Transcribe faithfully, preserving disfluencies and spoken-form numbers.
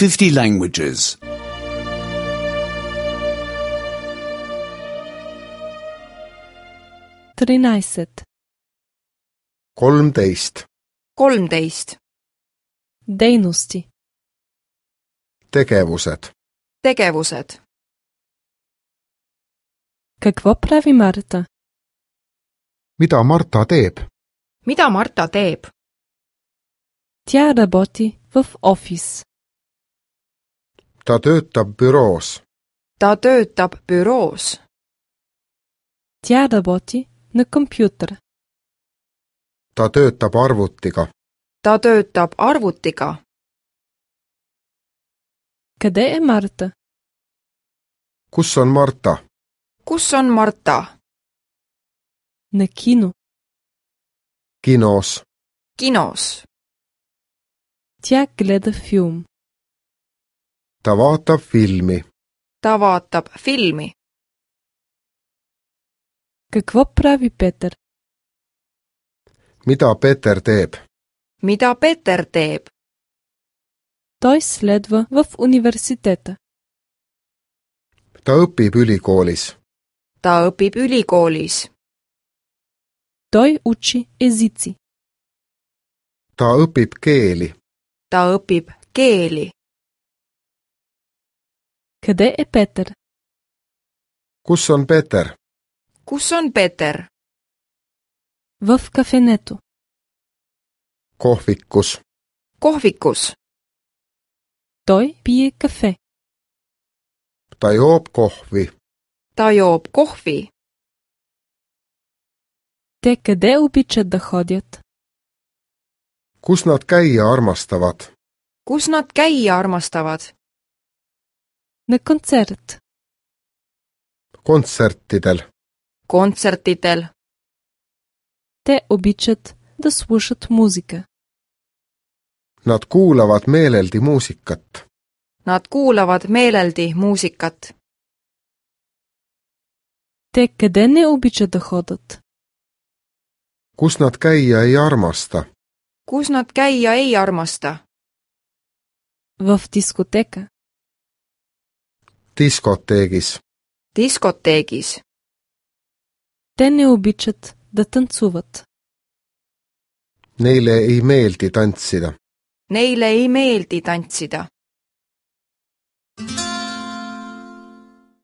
fifty languages. тринайсет. kolmteist, kolmteist. Дейности. tegevused, Tegevused. Какво прави Марта? mida Marta teeb? Mida Marta teeb? Тя работи в офис. ta töötab büroos, Ta töötab büroos. Тя работи на компютър. ta töötab arvutiga, Ta töötab arvutiga. Къде е Марта? kus on Marta? Kus on Marta? На кино. kinos, Kinos. Тя гледа филм. ta vaatab filmi, Ta vaatab filmi. Какво прави Петър? mida Peter teeb? Mida Peter teeb? Той следва в университета. ta õpib ülikoolis, Ta õpib ülikoolis. Той учи езици. ta õpib keeli, Ta õpib keeli. Къде е Петър? kus on Peter? Kus on Peter? В кафенето. kohvikus, Kohvikus. Той пие кафе. ta joob kohvi, Ta joob kohvi. Те къде обичат да ходят? kus nad käia armastavad? Kus nad käia armastavad? На концерт. kontsertidel, Kontsertidel. Те обичат да слушат музика. nad kuulavad meeleldi muusikat, Nad kuulavad meeleldi muusikat. Те къде не обичат да ходят? kus nad käia ei armasta? Kus nad käia ei armasta? В дискотека. diskoteegis, Diskoteegis. Те не обичат да танцуват. neile ei meeldi tantsida. Neile ei meeldi tantsida.